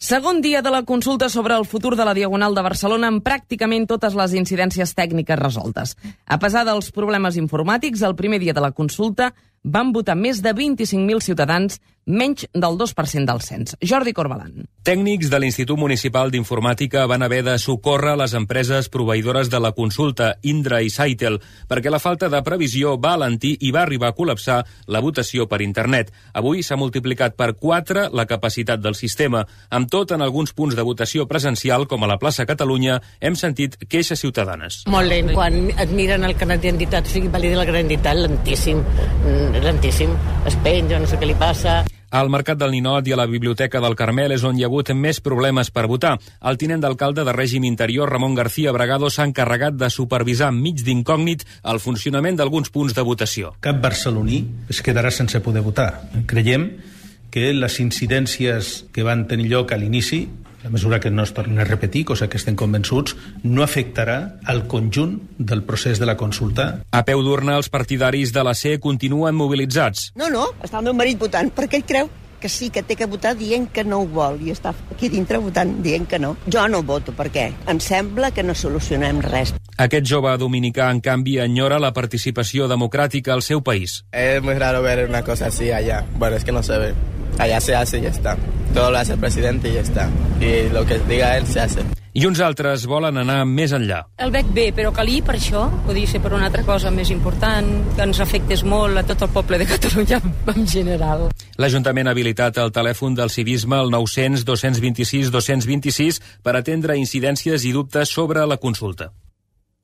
Segon dia de la consulta sobre el futur de la Diagonal de Barcelona amb pràcticament totes les incidències tècniques resoltes. A pesar dels problemes informàtics, el primer dia de la consulta van votar més de 25.000 ciutadans, menys del 2% del cens. Jordi Corbalan. Tècnics de l'Institut Municipal d'Informàtica van haver de socórrer les empreses proveïdores de la consulta, Indra i Saitel, perquè la falta de previsió va alentir i va arribar a col·lapsar la votació per internet. Avui s'ha multiplicat per 4 la capacitat del sistema. Amb tot, en alguns punts de votació presencial, com a la plaça Catalunya, hem sentit queixes ciutadanes. Molt lent. Quan et miren el carnet d'identitat, o sigui, valida la carnet d'identitat, lentíssim. Es penja, no sé què li passa. Al Mercat del Ninot i a la Biblioteca del Carmel és on hi ha hagut més problemes per votar. El tinent d'alcalde de Règim Interior, Ramon García Bragado, s'ha encarregat de supervisar enmig d'incògnit el funcionament d'alguns punts de votació. Cap barceloní es quedarà sense poder votar. Creiem que les incidències que van tenir lloc a l'inici, a mesura que no es tornin a repetir, cosa que estem convençuts, no afectarà al conjunt del procés de la consulta. A peu d'urna, els partidaris de la C continuen mobilitzats. No, està el meu marit votant, perquè ell creu que sí, que té que votar dient que no ho vol, i està aquí dintre votant dient que no. Jo no voto, perquè em sembla que no solucionem res. Aquest jove dominicà, en canvi, enyora la participació democràtica al seu país. Es muy raro ver una cosa así allá. Bueno, es que no se ve. Allá se hace y ya está. Todo lo hace el presidente y ya está. Y lo que diga él se hace. I uns altres volen anar més enllà. El veig bé, però calia per això, podria ser per una altra cosa més important, que ens afectés molt a tot el poble de Catalunya en general. L'Ajuntament ha habilitat el telèfon del civisme al 900 226 226 per atendre incidències i dubtes sobre la consulta.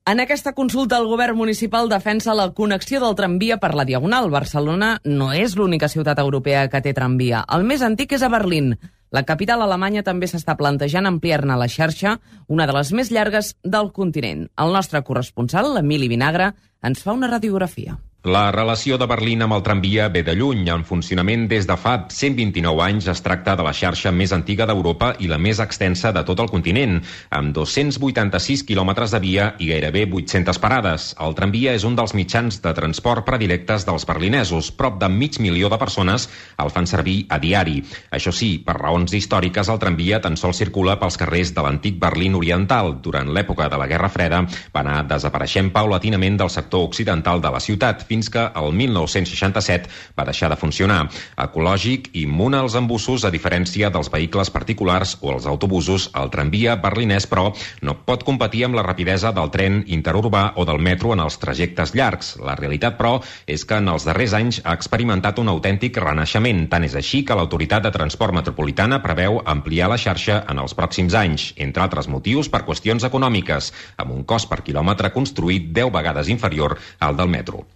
En aquesta consulta, el govern municipal defensa la connexió del tramvia per la Diagonal. Barcelona no és l'única ciutat europea que té tramvia. El més antic és a Berlín. La capital alemanya també s'està plantejant ampliar-ne la xarxa, una de les més llargues del continent. El nostre corresponsal, l'Emili Vinagre, ens fa una radiografia. La relació de Berlín amb el tramvia ve de lluny. En funcionament des de fa 129 anys, es tracta de la xarxa més antiga d'Europa i la més extensa de tot el continent, amb 286 quilòmetres de via i gairebé 800 parades. El tramvia és un dels mitjans de transport predilectes dels berlinesos. Prop de 500.000 de persones el fan servir a diari. Això sí, per raons històriques, el tramvia tan sols circula pels carrers de l'antic Berlín oriental. Durant l'època de la Guerra Freda va anar desapareixent paulatinament del sector occidental de la ciutat, fins que el 1967 va deixar de funcionar. Ecològic i immun als embussos, a diferència dels vehicles particulars o els autobusos, el tramvia berlinès, però, no pot competir amb la rapidesa del tren interurbà o del metro en els trajectes llargs. La realitat, però, és que en els darrers anys ha experimentat un autèntic renaixement. Tant és així que l'Autoritat de Transport Metropolitana preveu ampliar la xarxa en els pròxims anys, entre altres motius per qüestions econòmiques, amb un cost per quilòmetre construït 10 vegades inferior al del metro.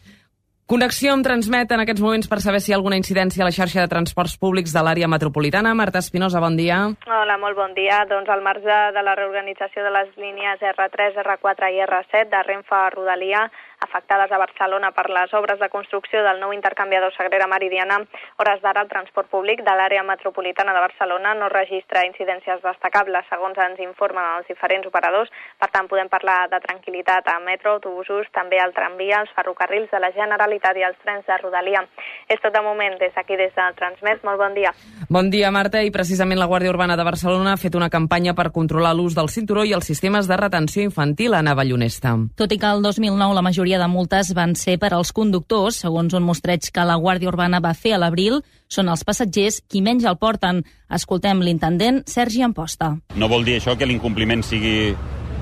Connexió amb Transmet en aquests moments per saber si hi ha alguna incidència a la xarxa de transports públics de l'àrea metropolitana. Marta Espinosa, bon dia. Hola, molt bon dia. Doncs al marge de la reorganització de les línies R3, R4 i R7 de Renfe a Rodalia, afectades a Barcelona per les obres de construcció del nou intercanviador Sagrera Meridiana, hores d'ara el transport públic de l'àrea metropolitana de Barcelona no registra incidències destacables, segons ens informen els diferents operadors. Per tant, podem parlar de tranquil·litat a metro, autobusos, també al tramvia, als ferrocarrils de la Generalitat i als trens de Rodalia. És tot de moment des d'aquí, des de Transmet. Molt bon dia. Bon dia, Marta. I precisament la Guàrdia Urbana de Barcelona ha fet una campanya per controlar l'ús del cinturó i els sistemes de retenció infantil a Navallonesta. Tot i que el 2009 la majoria de multes van ser per als conductors, segons un mostreig que la Guàrdia Urbana va fer a l'abril, són els passatgers qui menys el porten. Escoltem l'intendent Sergi Amposta. No vol dir això que l'incompliment sigui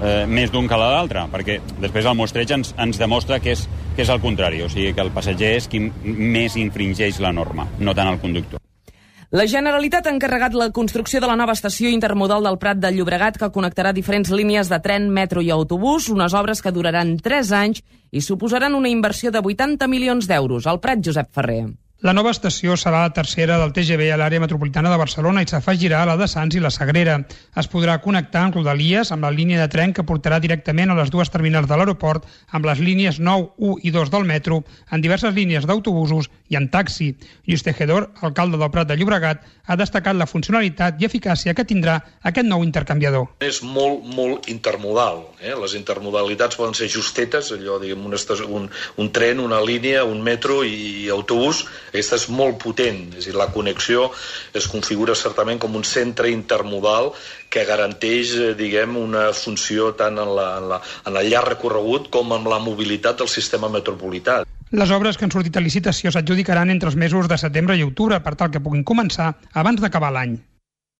més d'un que l'altre, perquè després el mostreig ens demostra que és el contrari, o sigui que el passatger és qui més infringeix la norma, no tant el conductor. La Generalitat ha encarregat la construcció de la nova estació intermodal del Prat de Llobregat que connectarà diferents línies de tren, metro i autobús, unes obres que duraran 3 anys i suposaran una inversió de 80 milions d'euros. Al Prat, Josep Ferrer. La nova estació serà la tercera del TGV a l'àrea metropolitana de Barcelona i s'afegirà a la de Sants i la Sagrera. Es podrà connectar amb Rodalies, amb la línia de tren que portarà directament a les dues terminals de l'aeroport, amb les línies 9, 1 i 2 del metro, en diverses línies d'autobusos i en taxi. Lluís Tejedor, alcalde del Prat de Llobregat, ha destacat la funcionalitat i eficàcia que tindrà aquest nou intercanviador. És molt intermodal. Les intermodalitats poden ser justetes, allò, diguem, un tren, una línia, un metro i autobús. Aquesta és molt potent, és a dir, la connexió es configura certament com un centre intermodal que garanteix, diguem, una funció tant en el llarg recorregut com en la mobilitat del sistema metropolità. Les obres que han sortit a licitació s'adjudicaran entre els mesos de setembre i octubre per tal que puguin començar abans d'acabar l'any.